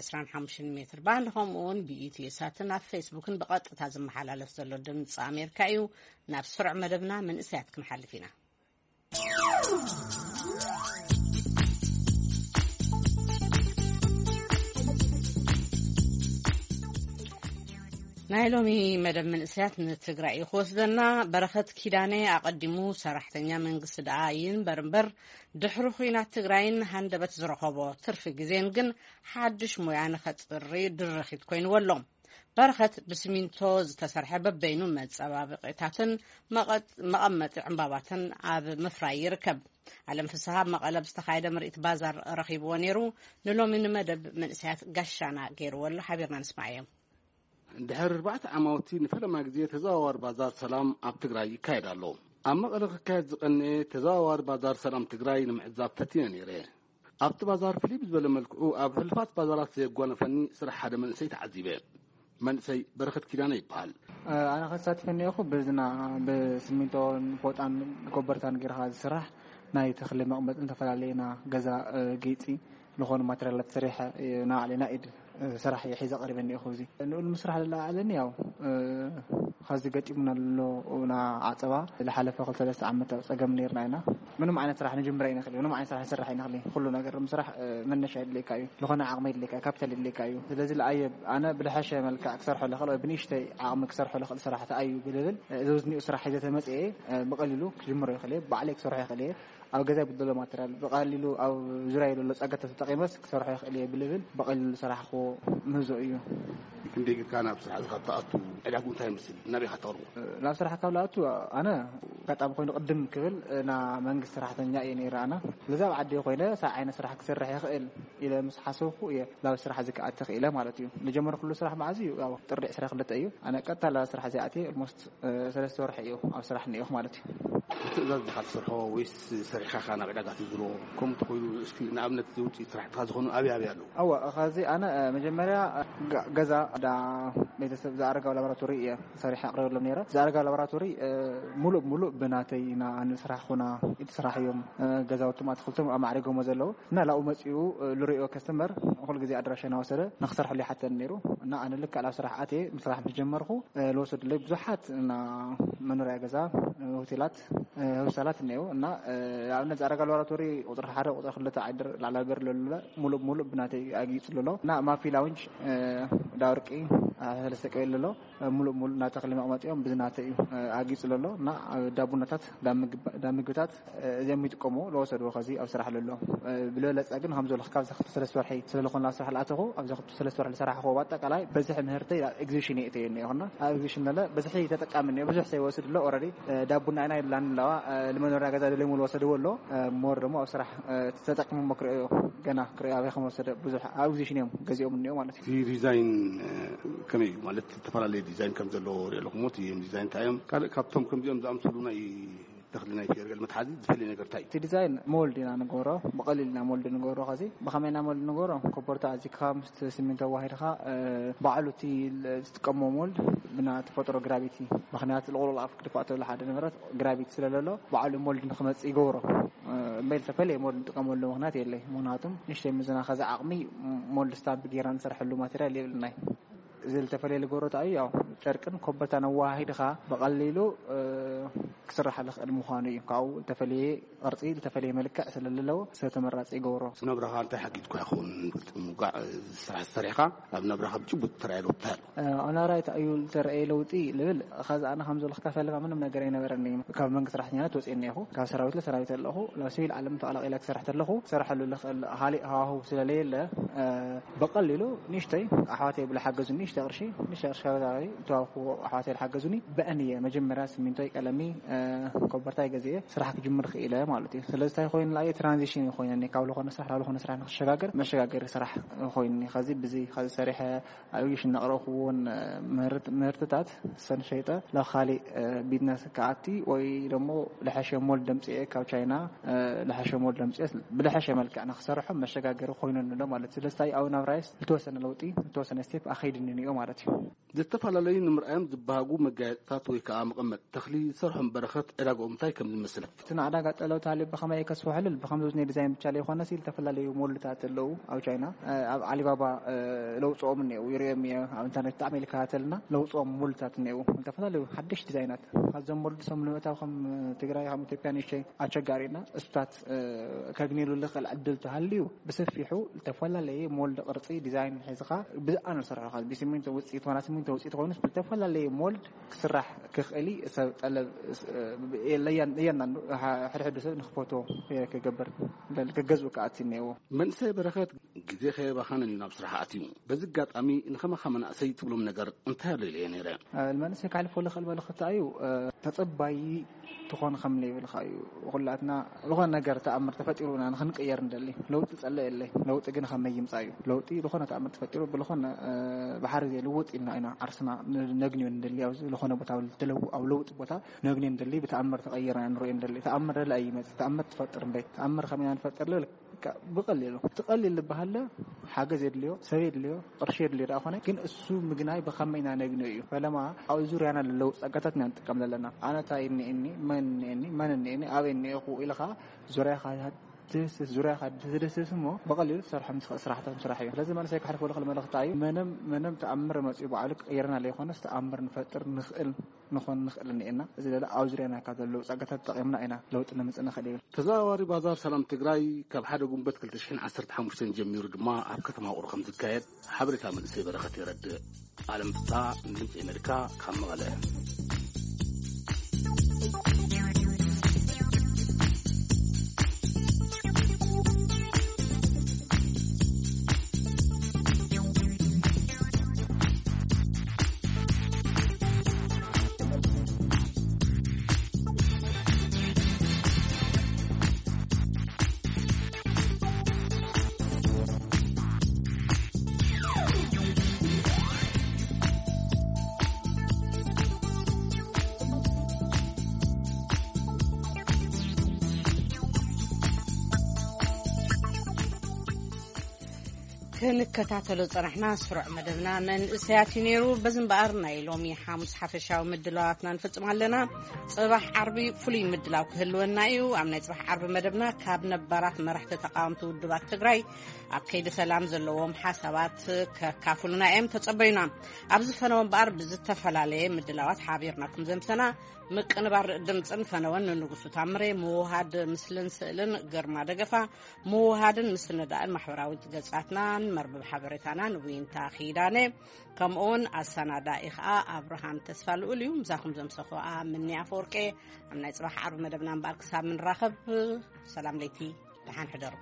25 ሜትር ባንድ፣ ከምኡ እውን ብኢትዮ ሳትን ኣብ ፌስቡክን ብቐጥታ ዝመሓላለፍ ዘሎ ድምፂ ኣሜሪካ እዩ። ናብ ስሩዕ መደብና መንእሰያት ክንሓልፍ ኢና። ናይ ሎሚ መደብ መንእሰያት ንትግራይ እዩ ክወስደና። በረኸት ኪዳነ ኣቐዲሙ ሰራሕተኛ መንግስቲ ደኣ ይንበር እምበር፣ ድሕሪ ኹናት ትግራይን ሃንደበት ዝረኸቦ ትርፊ ግዜን ግን ሓድሽ ሞያ ንኸጽሪ ድርኺት ኮይንዎ ኣሎ። በረኸት ብስሚንቶ ዝተሰርሐ በበይኑ መጸባበቂታትን መቐመጢ ዕምባባትን ኣብ ምፍራይ ይርከብ። ኣለም ፍስሃ ኣብ መቐለ ብዝተኻየደ ምርኢት ባዛር ረኺብዎ ነይሩ። ንሎሚ ንመደብ መንእሰያት ጋሻና ገይርዎ ኣሎ። ሓቢርና ንስማዓዮ። ድሕሪ ኣርባዕተ ዓማውቲ ንፈለማ ግዜ ተዘዋዋሪ ባዛር ሰላም ኣብ ትግራይ ይካየድ ኣሎ። ኣብ መቐለ ክካየድ ዝቐነየ ተዘዋዋሪ ባዛር ሰላም ትግራይ ንምዕዛብ ፈቲነ ነይረ። ኣብቲ ባዛር ፍልይ ብዝበለ መልክዑ ኣብ ሕሉፋት ባዛራት ዘየጓነፈኒ ስራሕ ሓደ መንእሰይ ተዓዚበ። መንእሰይ በረኸት ኪዳነ ይበሃል። ኣነ ከሳትፈ እኒኦኹ ብዝና ብስሚንቶን ፎጣን ኮበርታን ጌርካ ዝስራሕ ናይ ተኽሊ መቕመጥን ዝተፈላለየና ገዛ ጌፂ ዝኾኑ ማቴሪያላት ሰሪሐ ንባዕለይ ናይ ኢድ ስራሕ እየ ሒዘ ቀሪበ እኒኦኹ። እዚ ንኡል ምስራሕ ዝለዓለኒ ያው ኸዚ ገጢሙና ኣሎ ና ዓፀባ ዝሓለፈ ክልተ ሰለስተ ዓመት ኣብ ፀገም ነርና ኢና። ምንም ዓይነት ስራሕ ንጅምረ ኣይንኽእል፣ ምንም ዓይነት ስራሕ ንስራሕ ኣይንኽእል። ኩሉ ነገር ምስራሕ መነሻ የድልየካ እዩ፣ ዝኾነ ዓቕሚ የድልየካ፣ ካፒታል የድልየካ እዩ። ስለዚ ለኣየ ኣነ ብልሐሸ መልክዕ ክሰርሖ ልኽእል ወይ ብንእሽተይ ዓቕሚ ክሰርሖ ልኽእል ስራሕ ተኣዩ ብልብል እዚ ዝኒኡ ስራሕ ሒዘ ተመፅኤ ብቐሊሉ ክጅምሮ ይኽእል እየ፣ ባዕለይ ክሰርሖ ይኽእል እየ። ኣብ ገዛይ ብደሎ ማተርያል ብቐሊሉ ኣብ ዙርያ ዘሎ ጸገት ተጠቒመስ ክሰርሖ ይኽእል እየ ብልብል ብቐሊሉ ዝሰራሕክዎ ምህዞ እዩ። ክንደይ ጌርካ ናብ ስራሕ ካብ ትኣቱ ዕዳጉ እንታይ ይመስል? ናበይ ኢኻ ተቕርቦ? ናብ ስራሕ ካብ ልኣቱ ኣነ ኣጋጣሚ ኮይኑ ቅድም ክብል ና መንግስቲ ሰራሕተኛ እየ ነይረ ኣነ። ስለዚ ኣብ ዓዲ ኮይነ ሳብ ዓይነት ስራሕ ክሰርሕ ይኽእል ኢለ ምስ ሓሰብኩ እየ ናብ ስራሕ እዚ ክኣቲ ክኢለ ማለት እዩ። ዝጀመርኩሉ ስራሕ መዓዝ እዩ? ያው ጥሪ ዕስራ ክልተ እዩ። ኣነ ቀጥታ ናብ ስራሕ እዚኣ ኣትየ ኦልሞስት ሰለስተ ወርሒ እዩ ኣብ ስራሕ እኒኦኹ ማለት እዩ። ብትእዛዝ ዲኻ ትሰርሖ ወይስ ሰሪሕኻ ኢኻ ናብ ዕዳጋ ትዝሮ? ከምኡ እንተኾይኑ እስኪ ንኣብነት እዚ ውፅኢት ስራሕትኻ ዝኾኑ ኣበይ ኣበይ ኣለዉ? ኣወ ኸዚ ኣነ መጀመርያ ገዛ ዳ ቤተሰብ ዝኣረጋዊ ላቦራቶሪ እየ ሰሪሐ ኣቕሪበሎም ነይረ። ዝኣረጋዊ ላቦራቶሪ ሙሉእ ብሙሉእ ብናተይ ኢና ንስራሕ ኹና ኢድ ስራሕ እዮም ገዛውቶም ኣትክልቶም ኣማዕሪጎሞ ዘለዉ እና ላኡ መፂኡ ልሪኦ ከስተመር ኩሉ ግዜ ኣድራሻ እናወሰደ ንክሰርሐሉ ይሓተኒ ነይሩ እና ኣነ ልክዕ ናብ ስራሕ ኣትየ ምስራሕ ምስ ጀመርኩ ዝወሰዱለይ ብዙሓት እና መኖርያ ገዛ፣ ሆቴላት፣ ሆስፒታላት እኒአው እና ኣብነት ዝኣረጋ ላቦራቶሪ ቁፅሪ ሓደ ቁፅሪ ክልተ ዓይደር ላዕላ በር ለሉለ ሙሉእ ብሙሉእ ብናተይ ኣጊፅሉ ኣሎ እና ማፊ ላውንጅ ዳወርቂ ሰለስተ ቀበሌ ኣሎ። ሙሉእ ሙሉእ ናተኽሊ መቐመጢኦም ብዝናተ እዩ ኣጊፁ ዘሎ። እና ዳቡናታት፣ ዳምግባ- ዳምግብታት፣ እዚኦም ይጥቀሙ። ለወሰድዎ ከዚ ኣብ ስራሕ ለሎ ብለለፀ ግን ከም ዘሎ ካብ ዘኽቱ ሰለስተ ወርሒ ስለዝኾነ ኣብ ስራሕ ልኣተኹ፣ ኣብ ዘኽቱ ሰለስተ ወርሒ ዝሰራሕኹዎ ኣጠቃላይ በዝሒ ምህርተይ ኣብ ኤግዚቢሽን እየ እተየኒ ይኹና። ኣብ ኤግዚቢሽን ለለ በዝሒ ተጠቃሚ እኒኦ። ብዙሕ ሰብ ይወስድ ኣሎ። ኦረዲ ዳቡና ኢና ይብላን ኣለዋ። ልመኖርያ ገዛ ደለሙ ዝወሰድዎ ኣሎ። ሞር ደግሞ ኣብ ስራሕ ተጠቅሙ ክርእዮ፣ ገና ክርእዮ ኣበይ ከም ወሰደ ብዙሕ ኣብ ኤግዚቢሽን እዮም ገዚኦም እኒኦ ማለት እዩ። እቲ ዲዛይን ከመይ እዩ? ማለት ዝተፈላለየ ዲዛይን ከም ዘለዎ ሪኦ ኣለኹ። እቲ ዲዛይን እንታይ እዮም? ካልእ ካብቶም ከምዚኦም ዝኣምሰሉ ናይ ተኽሊ ናይ ፌርገል መትሓዚ ዝፈልየ ነገር እንታይ እዩ? እቲ ዲዛይን ሞልድ ኢና ንገብሮ፣ ብቐሊል ኢና ሞልድ ንገብሮ። ከዚ ብኸመይ ኢና ሞልድ ንገብሮ? ኮቦርታ ኣዚካ ምስ ሲሚንቶ ኣዋሂድካ፣ ባዕሉ እቲ ዝጥቀሞ ሞልድ ብና ተፈጥሮ ግራቪቲ፣ ምኽንያቱ ልቑልቕ ኣፍ ክድፋእ ተብሎ ሓደ ንብረት ግራቪቲ ስለለሎ ባዕሉ ሞልድ ንክመፅእ ይገብሮ። እምበይ ዝተፈለየ ሞልድ ንጥቀመሉ ምኽንያት የለይ። ምኽንያቱም ንእሽተይ ምዝና ከዚ ዓቕሚ ሞልድ ስታምፕ ጌርና ንሰርሐሉ ማቴሪያል የብልናይ። እዚ ዝተፈለየ ልገብሮ እንታይ እዩ? ያው ጨርቅን ኮበርታን ኣወሃሂድኻ ብቐሊሉ ክስራሕ ዝኽእል ምዃኑ እዩ። ካብኡ ዝተፈለየ ቅርፂ ዝተፈለየ መልክዕ ስለለዎ ሰብ ተመራፂ ይገብሮ። ናብራኻ እንታይ ሓጊዝኩ ይኸውን? ምውጋዕ ስራሕ ዝሰሪሕካ ኣብ ናብራኻ ብጭቡጥ ተራእየ ለውጥታ ኣሎ? ኣናራይ እንታይ እዩ ዝተረእየ ለውጢ ልብል፣ ኸዚ ኣነ ከም ዘለኹ ከፈልካ ምንም ነገር ኣይነበረኒ። ካብ መንግስቲ ሰራሕተኛነት ወፅኤ እኒኹ፣ ካብ ሰራዊት ለሰራዊት ኣለኹ። ናብ ሲቪል ዓለም ተቐላቂለ ክሰርሕ ተለኹ ክሰርሐሉ ልኽእል ሃሊእ ሃዋህው ስለለየለ፣ ብቐሊሉ ንእሽተይ ኣሕዋተይ ብለሓገዙኒ፣ ንእሽተይ ቅርሺ ንእሽተይ ቅርሺ ካብ ገዛይ ዝተዋብኩዎ ኣሕዋተይ ዝሓገዙኒ፣ ብአን እየ መጀመርያ ስሚንቶይ፣ ቀለሚ፣ ኮበርታይ ገዚኤ ስራሕ ክጅምር ክኢለ ማለት እዩ። ስለዚ እንታይ ኮይኑ ንዓይ ትራንዚሽን እዩ ኮይነኒ፣ ካብ ዝኾነ ስራሕ ናብ ዝኾነ ስራሕ ንክሸጋገር መሸጋገሪ ስራሕ ኮይኑኒ። ከዚ ብዚ ከዚ ሰሪሐ ኣብ ሽን ነቕረብኩዎን ምህርት- ምህርትታት ሰን ሸይጠ ናብ ካሊእ ቢዝነስ ክኣቲ ወይ ደሞ ልሐሸ ሞል ደምፅኤ ካብ ቻይና፣ ልሐሸ ሞል ደምፅኤ ብልሐሸ መልክዕ ንክሰርሖ መሸጋገሪ ኮይኑኒ ኣሎ ማለት እዩ። ስለዚ እንታይ ኣብ ናብራይስ ዝተወሰነ ለውጢ፣ ዝተወሰነ ስቴፕ ኣኸይድኒ እኒኦ ማለት እዩ። ዝተፈላለዩ ንምርኣዮም ዝበሃጉ መጋየፅታት ወይ ከዓ መቐመጢ ተኽሊ ዝሰርሖም በረኸት ዕዳግኦም እንታይ ከም ዝመስል? እቲ ንዕዳጋ ጠለብ ተሃልዩ ብኸመይ ከስፍሖ ልብል፣ ብኸምዚ ናይ ዲዛይን ብቻ ዘይኮነሲ ዝተፈላለዩ ሞልድታት ኣለዉ ኣብ ቻይና። ኣብ ዓሊባባ ለውፅኦም እኒአው ይርእዮም እየ ኣብ ኢንተርኔት ብጣዕሚ ይከታተልና። ለውፅኦም ሞልድታት እኒአው ዝተፈላለዩ ሓደሽ ዲዛይናት። ካብዞም ሞልድ ሰም ንምእታው ከም ትግራይ ከም ኢትዮጵያ ንእሽተይ ኣቸጋሪና። እስታት ከግኔሉ ልኽእል ዕድል ተሃልዩ ብሰፊሑ ዝተፈላለየ ሞልድ ቅርፂ ዲዛይን ሒዝኻ ብዝኣ ንሰርሖ። ብሲሚንቶ ውፅኢት ኾና ሲሚንቶ ውፅኢት ኮይኑ ዝተፈላለየ ሞልድ ክስራሕ ክኽእል እዩ። ሰብ ጠለብ የለያን እያንዳንዱ ሕድሕዱ ሰብ ንክፈትዎ ክገብር ክገዝኡ ክኣት እኒአዎ። መንእሰይ በረኸት ግዜ ከየባኸንን እዩ ናብ ስራሕ ኣትዩ። በዚ ኣጋጣሚ ንኸማኻ መናእሰይ ትብሎም ነገር እንታይ ኣሎ ኢለ እየ ነይረ። መንእሰይ ካሕልፎ ልኽእል መልእኽቲ እዩ። ተፀባይ ትኾን ከም ዘይብልካ እዩ። ኩላትና ዝኾነ ነገር ተኣምር ተፈጢሩ ኢና ንክንቅየር እንደሊ። ለውጢ ጸለ የለይ። ለውጢ ግን ከመይ ይምጻእ እዩ። ለውጢ ዝኾነ ተኣምር ተፈጢሩ ብልኾነ ባሕሪ ዘይልውጥ ኢልና ኢና ዓርስና ነግንዮ እንደሊ። ኣብዚ ዝኾነ ቦታ ኣብ ለውጢ ቦታ ነግንዮ እንደሊ። ብተኣምር ተቐይርና ንሪኦ እንደሊ። ተኣምር ደለ ኣይመጽእ። ተኣምር ትፈጥር እምበይ። ተኣምር ከመይ ኢና ንፈጥር ልብል ብቐሊሉ ትቐሊል ዝበሃለ ሓገዝ የድልዮ፣ ሰብ የድልዮ፣ ቅርሺ የድልዮ ደኣ ኮነ ግን እሱ ምግናይ ብኸመይ ኢና ነግንዮ እዩ። ፈለማ ኣብ ዙርያና ለለዉ ጸጋታት ኢና ንጥቀም ዘለና። ኣነ እንታይ እኒኤኒ፣ መን እኒኤኒ፣ መን እኒኤኒ፣ ኣበይ እኒኤኹ ኢልኻ ዙርያኻ ትህስስ፣ ዙርያኻ ትድስስ እሞ ብቐሊሉ ትሰርሖም ትኽእል ስራሕታት ምስራሕ እዩ። ስለዚ መንእሰይ ክሕልፎ ልኽእል መልእኽቲ እዩ። መንም መንም ተኣምር መፅኡ ባዕሉ ክቕይረና ዘይኮነስ ተኣምር ንፈጥር ንኽእል ንኾን ንኽእል እኒኤና። እዚ ለለ ኣብ ዙርያና ካብ ዘለዉ ጸጋታት ተጠቒምና ኢና ለውጢ ነምፅእ ንኽእል ይብል። ተዘዋዋሪ ባዛር ሰላም ትግራይ ካብ ሓደ ጉንበት ክልተ ሽሕን ዓሰርተ ሓሙሽተን ጀሚሩ ድማ ኣብ ከተማ ውቕሮ ከም ዝካየድ ሓበሬታ መንእሰይ በረኸት የረድእ። ኣለም ፍስሓ ንድምፂ ኣሜሪካ ካብ መቐለ። ክንከታተሎ ጸናሕና ስሩዕ መደብና መንእሰያት እዩ ነይሩ። በዚ እምበኣር ናይ ሎሚ ሓሙስ ሓፈሻዊ ምድላዋትና ንፍጽም ኣለና። ጽባሕ ዓርቢ ፍሉይ ምድላው ክህልወና እዩ። ኣብ ናይ ጽባሕ ዓርቢ መደብና ካብ ነባራት መራሕቲ ተቃወምቲ ውድባት ትግራይ ኣብ ከይዲ ሰላም ዘለዎም ሓሳባት ከካፍሉና እዮም። ተጸበዩና። ኣብዚ ፈነወ እምበኣር ብዝተፈላለየ ምድላዋት ሓቢርናኩም ዘምሰና ምቅንባር ድምፅን ፈነወን ንንጉሱ ታምሬ፣ ምውሃድ ምስልን ስእልን ግርማ ደገፋ፣ ምውሃድን ምስንዳእን ማሕበራዊ ገጻትናን መርበብ ሓበሬታና ንዊንታ ኪዳነ፣ ከምኡውን ኣሰናዳኢ ኸኣ ኣብርሃም ተስፋ ልኡል እዩ። ምሳኹም ዘምሰኹ ኣምኒ ኣፈወርቄ። ኣብ ናይ ጽባሕ ዓርቢ መደብና እምበኣር ክሳብ ምንራኸብ፣ ሰላም ለይቲ፣ ደሓን ሕደሩ።